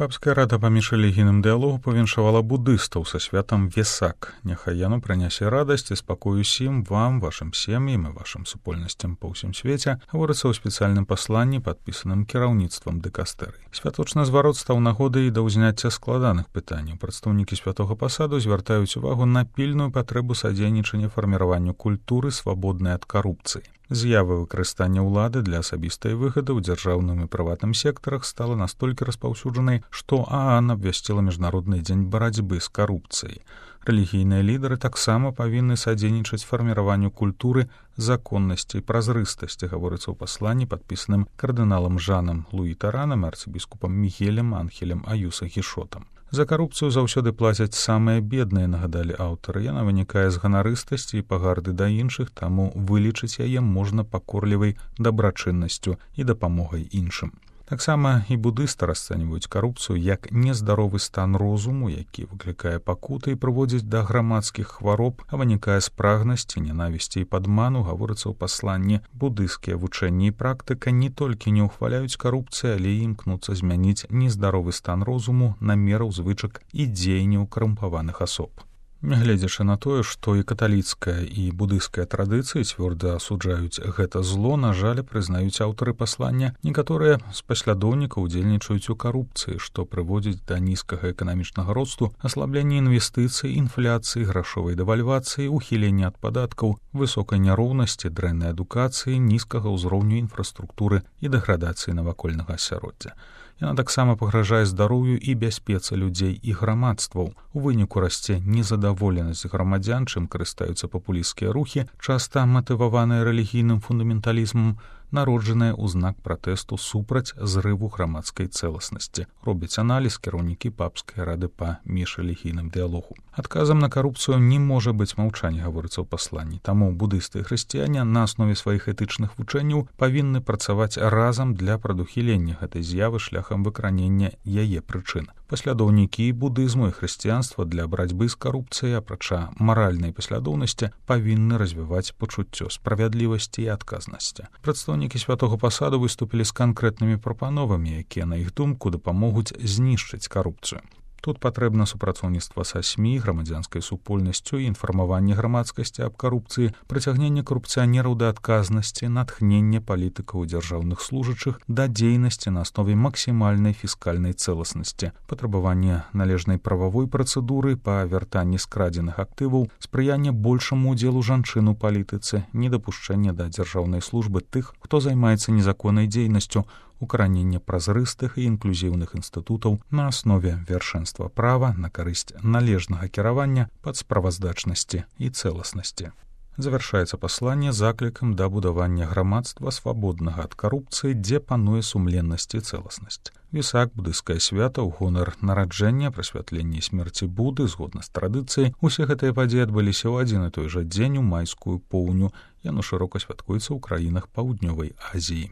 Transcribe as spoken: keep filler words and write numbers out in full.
Папская рада паміж рэлігійным дыялогу павіншавала будыстаў са святам Весак. Няхай яно прынясе радасць і спакою усім вам, вашым сем'ям і вашым супольнасцям па ўсім свеце, гаворыцца ў спецыяльным пасланні, падпісаным кіраўніцтвам дыкастэрыі. Святочны зварот стаў нагодай да ўзняцця складаных пытанняў. Прадстаўнікі святога пасаду звяртаюць увагу на пільную патрэбу садзейнічання фарміраванню культуры, свабоднай ад карупцыі. З'ява выкарыстання ўлады для асабістай выгады ў дзяржаўным і прыватным сектарах стала настолькі распаўсюджанай, што ААН абвясціла міжнародны дзень барацьбы з карупцыяй. Рэлігійныя лідары таксама павінны садзейнічаць фарміраванню культуры, законнасці і празрыстасці, гаворыцца ў пасланні, падпісаным кардыналам Жанам Луі Таранам і арцыбіскупам Мігелем Анхелем Аюса Гішотам. За карупцыю заўсёды плацяць самыя бедныя, нагадалі аўтары. Яна вынікае з ганарыстасці і пагарды да іншых, таму вылічыць яе можна пакорлівай дабрачыннасцю і дапамогай іншым. Таксама і будысты расцэньваюць карупцыю як нездаровы стан розуму, які выклікае пакуты і прыводзіць да грамадскіх хвароб, а вынікае з прагнасці, ненавісці і падману, гаворыцца ў пасланні. Будысцкія вучэнні і практыка не толькі не ўхваляюць карупцыю, але і імкнуцца змяніць нездаровы стан розуму на меру звычак і дзеянняў карумпаваных асоб. Нягледзячы на тое, што і каталіцкая, і будысцкая традыцыі цвёрда асуджаюць гэта зло, на жаль, прызнаюць аўтары паслання, некаторыя з паслядоўнікаў удзельнічаюць у карупцыі, што прыводзіць да нізкага эканамічнага росту, аслаблення інвестыцый, інфляцыі, грашовай дэвальвацыі, ухілення ад падаткаў, высокай няроўнасці, дрэннай адукацыі, нізкага ўзроўню інфраструктуры і дэградацыі навакольнага асяроддзя. Яна таксама пагражае здароўю і бяспецы людзей і грамадстваў. У выніку расце незадаволенасць грамадзян, чым карыстаюцца папулісцкія рухі, часта матываваныя рэлігійным фундаменталізмам, народжаныя ў знак пратэсту супраць зрыву грамадскай цэласнасці. Робяць аналіз кіраўнікі папскай рады па міжрэлігійным дыялогу. Адказам на карупцыю не можа быць маўчанне, гаворыцца ў пасланні. Таму будысты і хрысціяне на аснове сваіх этычных вучэнняў павінны працаваць разам для прадухілення гэтай з'явы шляхам выкранення яе прычын. Паслядоўнікі будызму і хрысціянства для барацьбы з карупцыяй, апрача маральнай паслядоўнасці, павінны развіваць пачуццё справядлівасці і адказнасці. Прадстаўнікі святога пасаду выступілі з канкрэтнымі прапановамі, якія, на іх думку, дапамогуць знішчыць карупцыю. Тут патрэбна супрацоўніцтва са СМІ, грамадзянскай супольнасцю і інфармаванне грамадскасці аб карупцыі, прыцягненне карупцыянераў да адказнасці, натхненне палітыкаў і дзяржаўных служачых да дзейнасці на аснове максімальнай фіскальнай цэласнасці, патрабаванне належнай прававой працэдуры па вяртанні скрадзеных актываў, спрыянне большаму ўдзелу жанчын у палітыцы, недапушчэнне да дзяржаўнай службы тых, хто займаецца незаконнай дзейнасцю, укараненне празрыстых і інклюзіўных інстытутаў на аснове вяршэнства права на карысць належнага кіравання, падсправаздачнасці і цэласнасці. Завяршаецца пасланне заклікам да будавання грамадства свабоднага ад карупцыі, дзе пануе сумленнасць і цэласнасць. Весак, будысцкае свята ў гонар нараджэння, прасвятлення і смерці Буды, згодна з традыцыяй, усе гэтыя падзеі адбыліся ў адзін і той жа дзень у майскую поўню. Яно шырока святкуецца ў краінах Паўднёвай Азіі.